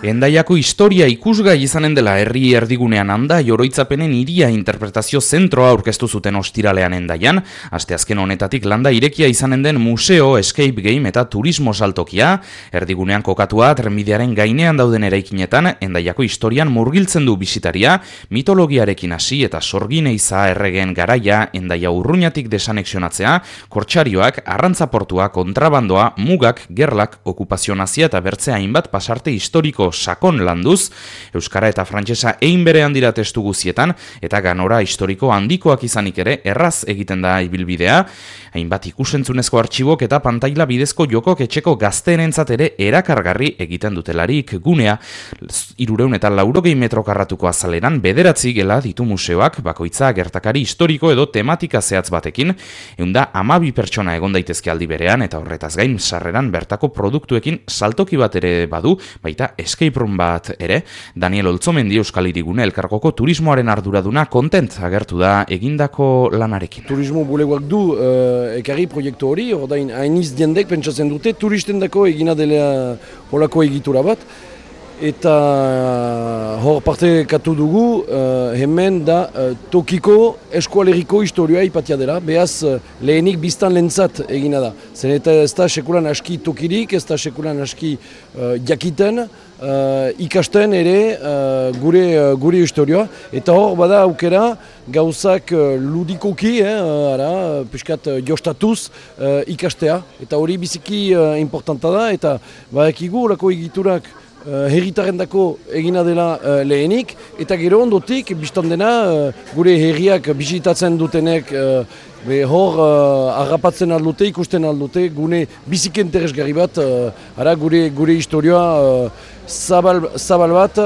Hendaiako historia ikusgai izanen dela herri erdigunean anda oroitzapenen hiria interpretazio zentroa aurkeztu zuten ostiralean Hendaian, asteazken honetatik landa irekia izanen den museo, escape game eta turismo saltokia, erdigunean kokatua trenbidearen gainean dauden eraikinetan Hendaiako historian murgiltzen du bisitaria, mitologiarekin hasi eta sorgineiza erregen garaia Hendaia urruñatik desanexionatzea, kortxarioak, arrantzaportua, kontrabandoa, mugak, gerlak, okupazio nazia eta bertzea hainbat pasarte historiko sakon landuz, euskara eta frantsesa ein berean dira testu guzietan, eta ganora historiko handikoak izanik ere erraz egiten da ibilbidea, hainbat ikusentzunezko artxibok eta pantaila bidezko jokok etxeko gazteenentzat ere erakargarri egiten dutelarik gunea. 340 metro karratuko azaleran 9 gela ditu museoak, bakoitza gertakari historiko edo tematika zehatz batekin, 112 pertsona egon daitezke aldi berean, eta horretaz gain sarreran bertako produktuekin saltoki bat ere badu, baita escape room bat ere. Daniel Oltzomendi Euskal Hirigune elkargoko turismoaren arduraduna kontent agertu da egindako lanarekin. Turismo bulegoak du ekarri proiektu hori, ordain hainiz diendek pentsatzen dute turistendako egina dela holako egitura bat. Eta hor partekatu dugu, hemen da tokiko eskualeriko historioa ipatia dela, behaz lehenik biztan lentzat egina da. Zen eta ez da sekulan aski tokirik, ez da sekulan aski jakiten, ikasten ere gure historioa. Eta hor bada aukera gauzak ludikoki, piskat jostatuz ikastea. Eta hori biziki importanta da, eta badakigu horako egiturak herritarrendako egina dela lehenik, eta gero ondotik, biztan dena, gure herriak bisitatzen dutenek hor harrapatzen aldute, ikusten aldute, gune biziki interesgarri bat, gure historioa zabal bat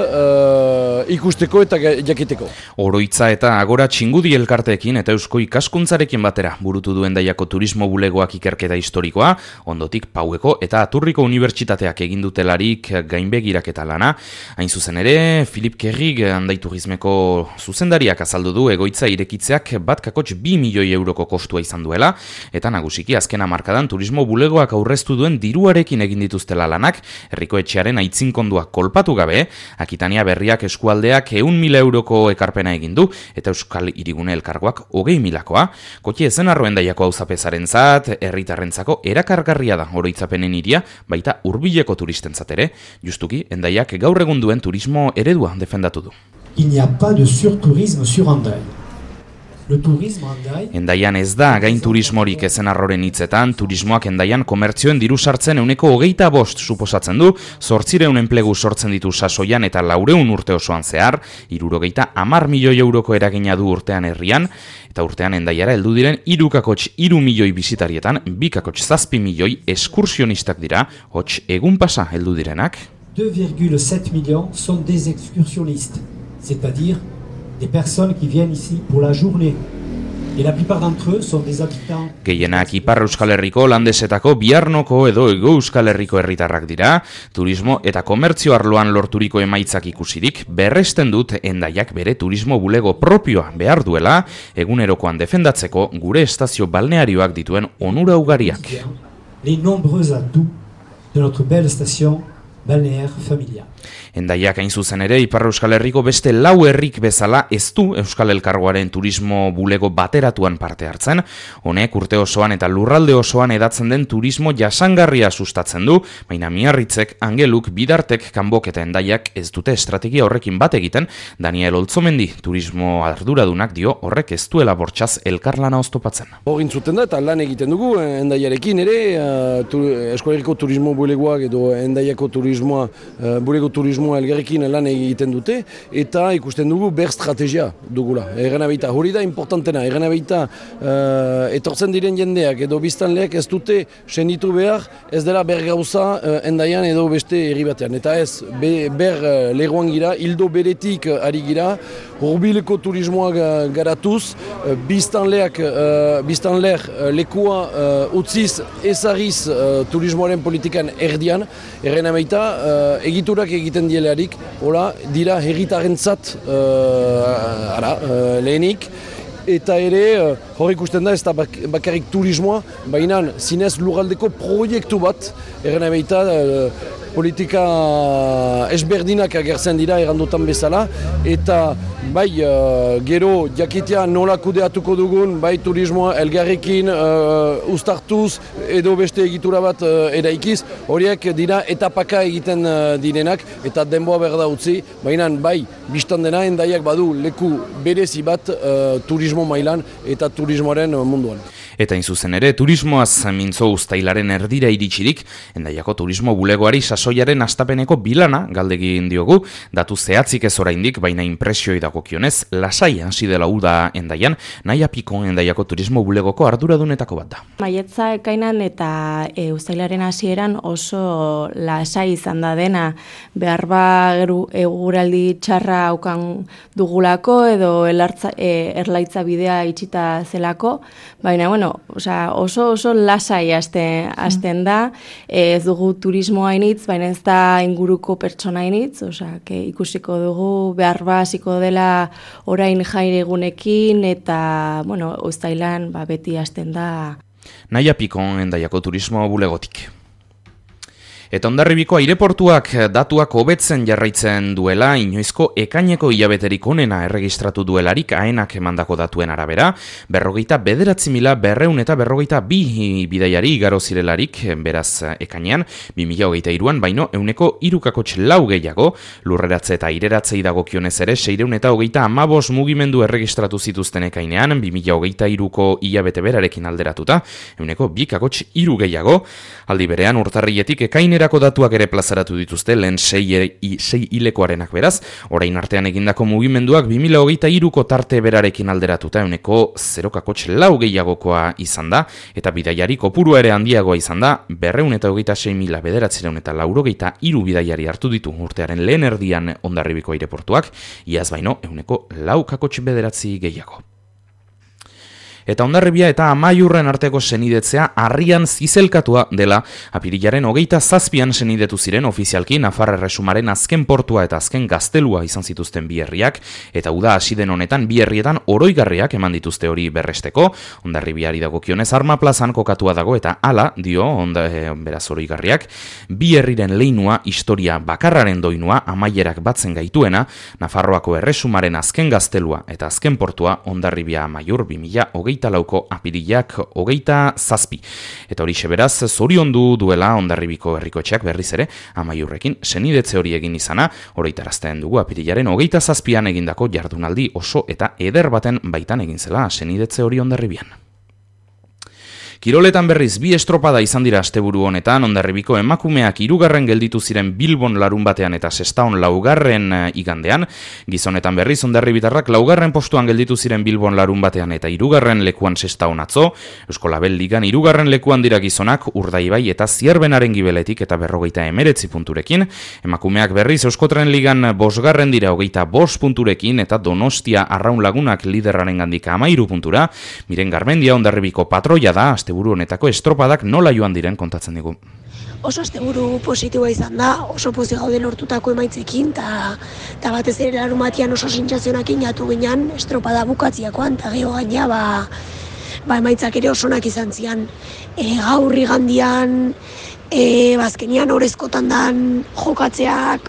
ikusteko eta jakiteko. Oroitza eta Agora Txingudi elkarteekin eta Eusko Ikaskuntzarekin batera burutu du Hendaiako turismo bulegoak ikerketa historikoa, ondotik Paueko eta Aturriko unibertsitateak egin dutelarik gainbegiraketa lana. Hain zuzen ere, Filip Kerrig Hendai Turismeko zuzendariak azaldu du egoitza irekitzeak 1,2 milioi euroko kostua izan duela, eta nagusiki azken hamarkadan turismo bulegoak aurreztu duen diruarekin egin dituztela lanak, herriko etxearen aitzinkondua kolpatu gabe, Akitania Berriak eskualdeak 100.000 euroko ekarpena egin du, eta Euskal Hirigune elkargoak 20.000koa. Kotxe ezenarro Hendaiako auzapezarentzat, herritarrentzako erakargarria da oroitzapenen hiria, baita hurbileko turistentzat ere, justuki Hendaiak gaur egun duen turismo eredua defendatu du. Il n'y a pas de surtourisme sur Hendai. Hendaian ez da gain turismorik ezenarroren hitzetan, turismoak Hendaian komertzioen diru sartzen 25% suposatzen du, 800 enplegu sortzen ditu sasoian eta 400 urte osoan zehar, 70 milioi euroko eragina du urtean herrian, eta urtean Hendaiara heldu diren 3,3 milioi bisitarietan, 2,7 milioi eskursionistak dira, hots egun pasa heldu direnak. 2,7 millions sont des excursionnistes, c'est-à-dire des personnes qui viennent ici pour la journée. Et la plupart d'entre eux sont des habitants. Gehienak Ipar Euskal Herriko, Landesetako, Biarnoko edo Hego Euskal Herriko herritarrak dira, turismo eta komertzio arloan lorturiko emaitzak ikusirik, berresten dut Hendaiak bere turismo bulego propioa behar duela, egunerokoan defendatzeko gure estazio balnearioak dituen onura ugariak. Les nombreux atouts de notre belle station balnéaire familiale. Hendaiak hain zuzen ere, Ipar Euskal Herriko beste 4 herrik bezala ez du Euskal Elkargoaren turismo bulego bateratuan parte hartzen. Honek urte osoan eta lurralde osoan edatzen den turismo jasangarria sustatzen du, baina Miarritzek, Angeluk, Bidartek, Kanbok eta Hendaiak ez dute estrategia horrekin bat egiten. Daniel Oltzomendi turismo arduradunak dio horrek ez duela bortxaz elkarlana oztopatzen. Hor intzuten da eta lan egiten dugu Hendaiarekin ere, Euskal Herriko turismo bulegoak edo Hendaiako turismoa, bulego turismo elgarrekin lan egiten dute, eta ikusten dugu ber strategia dugula. Erren abeita, hori da importantena, erren abeita etortzen diren jendeak edo biztanleak ez dute senditu behar, ez dela ber gauza Hendaian edo beste herri batean. Eta ez, ber leroan gira, hildo beretik ari gira, hurbileko turismoa garatuz, biztanleak lekua utziz ezariz turismoaren politikan erdian, erren abeita, egiturak egiten dielarik, hola, dira herritarentzat lehenik, eta ere hor ikusten da ez da bakarrik turismoa, baina zinez lurraldeko proiektu bat, erren baita politika ezberdinak agertzen dira errandutan bezala, eta bai gero jakitea nola kudeatuko dugun, bai turismoa elgarrekin uztartuz edo beste egitura bat eraikiz, horiek dira etapaka egiten direnak eta denboa behar da utzi, baina bai biztan dena Hendaiak badu leku berezi bat turismo mailan eta turismoaren munduan. Eta inzuzen ere, turismoaz mintzo uztailaren erdira iritsirik, Hendaiako turismo bulegoari sasoiaren astapeneko bilana galdegin diogu, datu zehatzik ez oraindik, baina impresioi dagokionez, lasai hasi dela uda Hendaian, Naia Piko Hendaiako turismo bulegoko arduradunetako bat da. Maiatza ekainan eta uztailaren hasieran oso lasai izan da dena, behar eguraldi txarra aukan dugulako edo erlaitza bidea itxita zelako, baina oso lasai hasten da, ez dugu turismoa initz, baina ez da inguruko pertsona initz, ikusiko dugu behar hasiko dela orain jaire egunekin eta uztailan beti hasten da. Naia Piko Hendaiako turismo bulegotik. Eta Hondarribiko aireportuak datuak hobetzen jarraitzen duela, inoizko ekaineko hilabeterik onena erregistratu duelarik aenak emandako datuen arabera, 49.242 bidaiari igaro zirelarik, beraz ekainean, 2023an baino 3,4 gehiago, lurreratze eta aireratze dagokionez ere 615 mugimendu erregistratu zituzten ekainean, 2023ko hilabete berarekin alderatuta, 2,3 gehiago, aldi berean urtarrietik ekainerako datuak ere plazaratu dituzte, lehen 6 hilekoarenak beraz, orain artean egindako mugimenduak 2023ko tarte berarekin alderatuta 0,4 gehiagokoa izan da, eta bidaiari kopurua ere handiagoa izan da, 226.993 bidaiari hartu ditu urtearen lehen erdian Hondarribiko aireportuak, iaz baino 4,9 gehiago. Eta Hondarribia eta Amaiurren arteko senidetzea harrian zizelkatua dela, apirilaren 27an senidetu ziren ofizialki Nafar Erresumaren azken portua eta azken gaztelua izan zituzten bi herriak, eta uda hasi den honetan bi herrietan oroigarriak eman dituzte hori berresteko, Hondarribiari dagokionez Arma Plazan kokatua dago eta hala dio beraz oroigarriak, bi herriren leinua, historia bakarraren doinua, amaierak batzen gaituena, Nafarroako Erresumaren azken gaztelua eta azken portua Hondarribia Amaiur 2024ko apirilak 27. Eta hori beraz zoriondu duela Hondarribiko herrikoetxeak berriz ere Amaiurrekin senidetze hori egin izana, oroitarazten dugu apirilaren 27an egindako jardunaldi oso eta eder baten baitan egin zela senidetze hori Hondarribian. Kiroletan berriz bi estropada izan dira asteburu honetan, Hondarribiko emakumeak 3. gelditu ziren Bilbon larun batean eta Sestaon 4. igandean, gizonetan berriz Hondarribitarrak 4. postuan gelditu ziren Bilbon larun batean eta 3. lekuan Sestaon atzo, Eusko Label Ligan 3. lekuan dira gizonak Urdaibai eta Zierbenaren gibeletik eta 59 punturekin, emakumeak berriz Euskotren Ligan 5. dira 25 punturekin eta Donostia Arraun Lagunak liderraren gandik 13 puntura, Miren Garmendia Hondarribiko patroia da, asteburu honetako estropadak nola joan diren kontatzen digu. Oso asteburu positiboa izan da, oso pozik gaude lortutako emaitzekin, eta batez ere larumatian oso sentsazionakin jatu ginen estropada bukatziakoan, eta geho gaina emaitzak ere osonak izan zian. Gaur igandian, bazkenian orezkotan dan jokatzeak,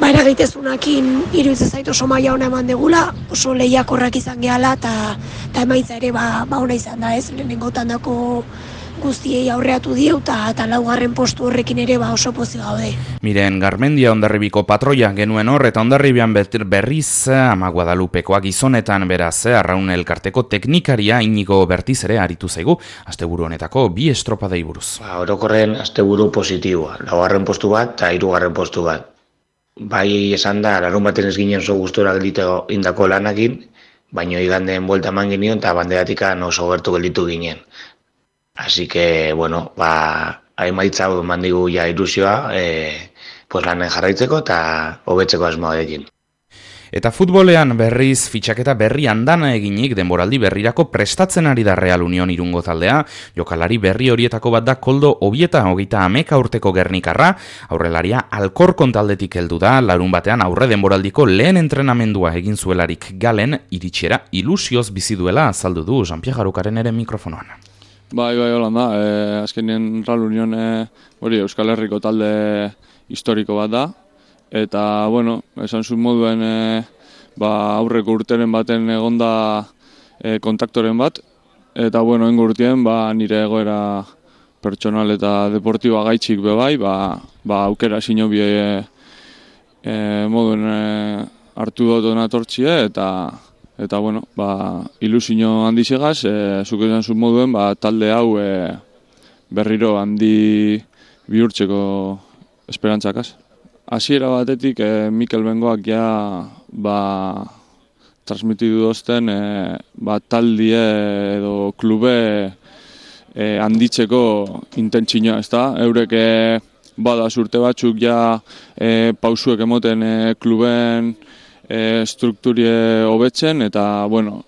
eragitezunakin iruditzen zait oso maila ona eman degula, oso lehiakorrak izan gehala eta emaitza ere ona izan da, ez, lehenengotan dako guztiei aurreatu dieu eta 4. postu horrekin ere oso pozik gaude. Miren Garmendia Hondarribiko patroia genuen hor eta Hondarribian berriz Ama Guadalupekoa gizonetan beraz Arraun elkarteko teknikaria Inigo Bertiz ere aritu zaigu asteburu honetako bi estropadei buruz. Orokorren asteburu positiboa, 4. postu bat eta 3. postu bat. Bai esan da, larun baten ez ginen oso gustora gelditu indako lanakin, baino igandeen buelta eman genion eta banderatik oso gertu gelditu ginen. Así que, emaitza eman digu ja ilusioa, lanen jarraitzeko eta hobetzeko asmoarekin. Eta futbolean berriz fitxaketa berri andana eginik denboraldi berrirako prestatzen ari da Real Union Irungo taldea. Jokalari berri horietako bat da Koldo Obieta, 30 urteko gernikarra. Aurrelaria Alkorkon taldetik heldu da, larun batean aurre denboraldiko lehen entrenamendua egin zuelarik Galen iritsiera ilusioz bizi duela azaldu du Jean-Pierre Jarukaren ere mikrofonoan. Bai, Holanda, azkenien Real Union hori Euskal Herriko talde historiko bat da. Eta, bueno, esan zuen moduen aurreko urteren baten egonda kontaktoren bat. Eta, bueno, engo urtien nire egoera pertsonal eta deportiba gaitxik bebai, aukera sinobie moduen hartu dut natortzie eta bueno, ilusio handizegaz, zuk esan zuen moduen, talde hau berriro handi bihurtzeko esperantzakaz. Hasiera batetik Mikel Bengoak transmitidu dozten taldie edo klube handitzeko intentzioa, ezta? Eurek bada urte batzuk pausuek emoten kluben strukturie hobetzen eta bueno,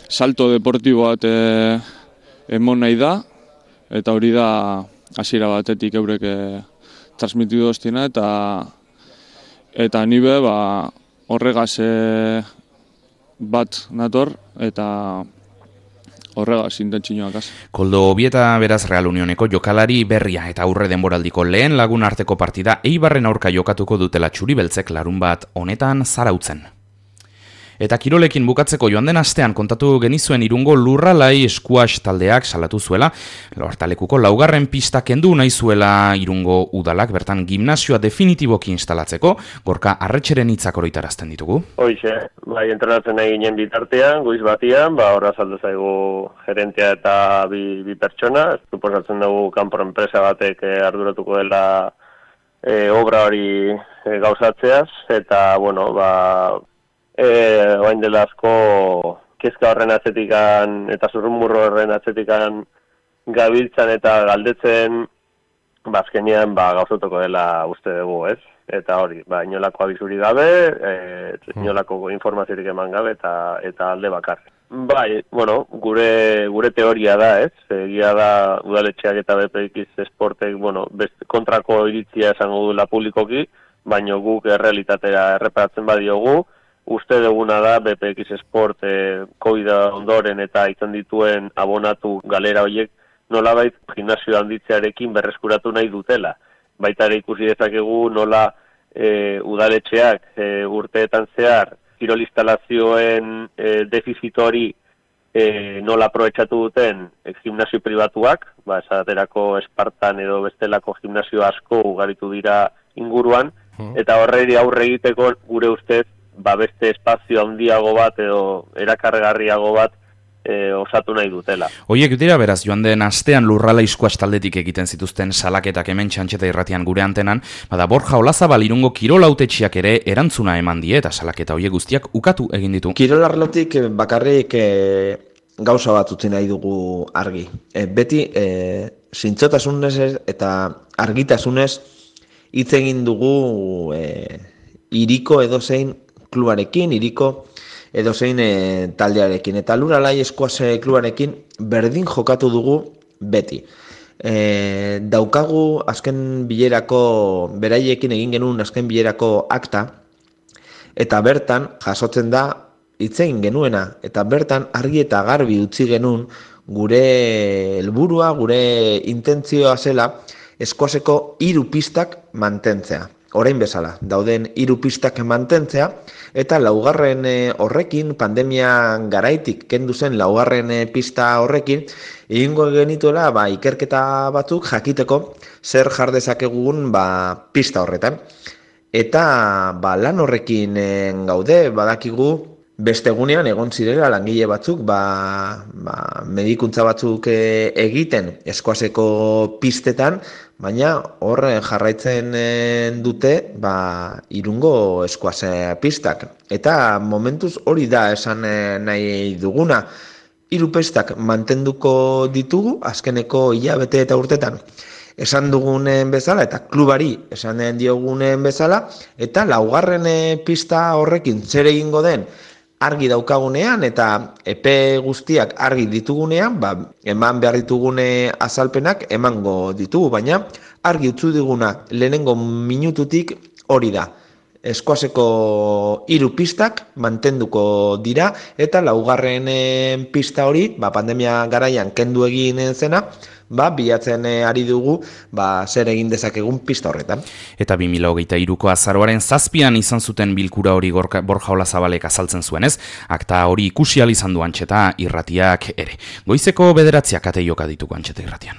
salto deportibo bat emon nahi da eta hori da hasiera batetik eurek transmitidu doztina eta nibe horregaz bat nator eta horregaz intentzioak. Koldo Obieta beraz Real Unioneko jokalari berria eta aurre denboraldiko lehen lagun arteko partida Eibarren aurka jokatuko dutela txuri-beltzek larun bat honetan Zarautzen. Eta kirolekin bukatzeko joan den astean kontatu genizuen Irungo Lurralai squash taldeak salatu zuela, Hortalekuko laugarren pista kendu nahi zuela Irungo udalak bertan gimnasioa definitiboki instalatzeko, Gorka Arretxeren hitzak oroitarazten ditugu. Hoixe, entrenatzen nahi ginen bitartean, goiz batian, horra saldu zaigu gerentea eta bi pertsona, suposatzen dugu kanpor enpresa batek arduratuko dela obra hori gauzatzeaz, eta, bueno, oain dela asko kezka horren atzetikan eta zurrumurro horren atzetikan gabiltzan eta galdetzen azkenean gauzatuko dela uste dugu, ez? Eta hori, inolako abizuri gabe, inolako informaziorik eman gabe eta alde bakar. Gure teoria da, ez? Egia da udaletxeak eta BPX Sportek, kontrako iritzia esango duela publikoki, baina guk errealitatera erreparatzen badiogu, uste duguna da BPX Sport COVID ondoren eta izan dituen abonatu galera horiek nolabait gimnasio handitzearekin berreskuratu nahi dutela. Baita ere ikusi dezakegu nola udaletxeak urteetan zehar kirol instalazioen defizit hori nola aprobetxatu duten gimnasio pribatuak, esaterako Espartan edo bestelako gimnasio asko ugaritu dira inguruan, eta horreri aurre egiteko gure ustez beste espazio handiago bat edo erakargarriago bat osatu nahi dutela. Oiek dira beraz joan den astean Lurralai squash taldetik egiten zituzten salaketak hemen Txantxeta irratian gure antenan, Borja Olazabal Irungo kirol hautetsiak ere erantzuna eman die eta salaketa horiek guztiak ukatu egin ditu. Kirol arlotik bakarrik gauza bat utzi nahi dugu argi. Beti zintzotasunez eta argitasunez hitz egin dugu hiriko edozein klubarekin, hiriko edozein taldearekin. Eta Lurralai squash klubarekin berdin jokatu dugu beti. Daukagu azken bilerako, beraiekin egin genuen azken bilerako akta, eta bertan jasotzen da hitz egin genuena, eta bertan argi eta garbi utzi genuen gure helburua, gure intentzioa zela squasheko 3 pistak mantentzea. Orain bezala, dauden 3 pistak mantentzea, eta laugarren horrekin, pandemia garaitik kendu zen laugarren pista horrekin, egingo genituela ikerketa batzuk jakiteko zer jar dezakegun pista horretan. Eta lan horrekin gaude, badakigu beste egunean egon zirela langile batzuk, medikuntza batzuk egiten squasheko pistetan, baina hor jarraitzen dute Irungo squash pistak. Eta momentuz hori da esan nahi duguna. 3 pistak mantenduko ditugu azkeneko hilabete eta urtetan. esan dugunen bezala, eta klubari esan diogunen bezala, eta laugarren pista horrekin zer egingo den argi daukagunean, eta epe guztiak argi ditugunean, eman behar ditugune azalpenak emango ditugu, baina argi utzu diguna lehenengo minututik hori da. Eskoazeko 3 pistak mantenduko dira, eta laugarren pista hori, pandemia garaian kendu egin zena, bilatzen ari dugu zer egin dezakegun pista horretan. Eta 2023ko azaroaren 7an izan zuten bilkura hori Borja Olazabalek azaltzen zuenez, akta hori ikusi ahal izan du Antxeta Irratiak ere. Goizeko 9 ate joka ditugu Antxeta Irratian.